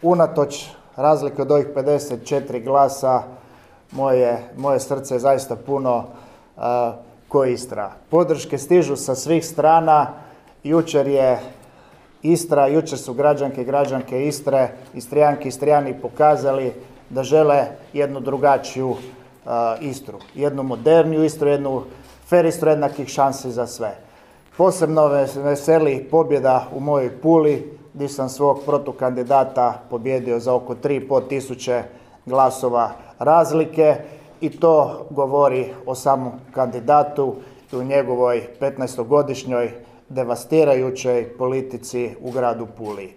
unatoč razlike od ovih 54 glasa, moje srce je zaista puno ko Istra. Podrške stižu sa svih strana. Jučer je Istra, jučer su građanke i građanke Istre, Istrijanke i Istrijani pokazali da žele jednu drugačiju Istru. Jednu moderniju Istru, jednu fer Istru jednakih šansi za sve. Posebno me veseli pobjeda u mojoj Puli, gdje sam svog protukandidata pobjedio za oko 3.500 glasova razlike i to govori o samom kandidatu i u njegovoj 15-godišnjoj devastirajućoj politici u gradu Puli.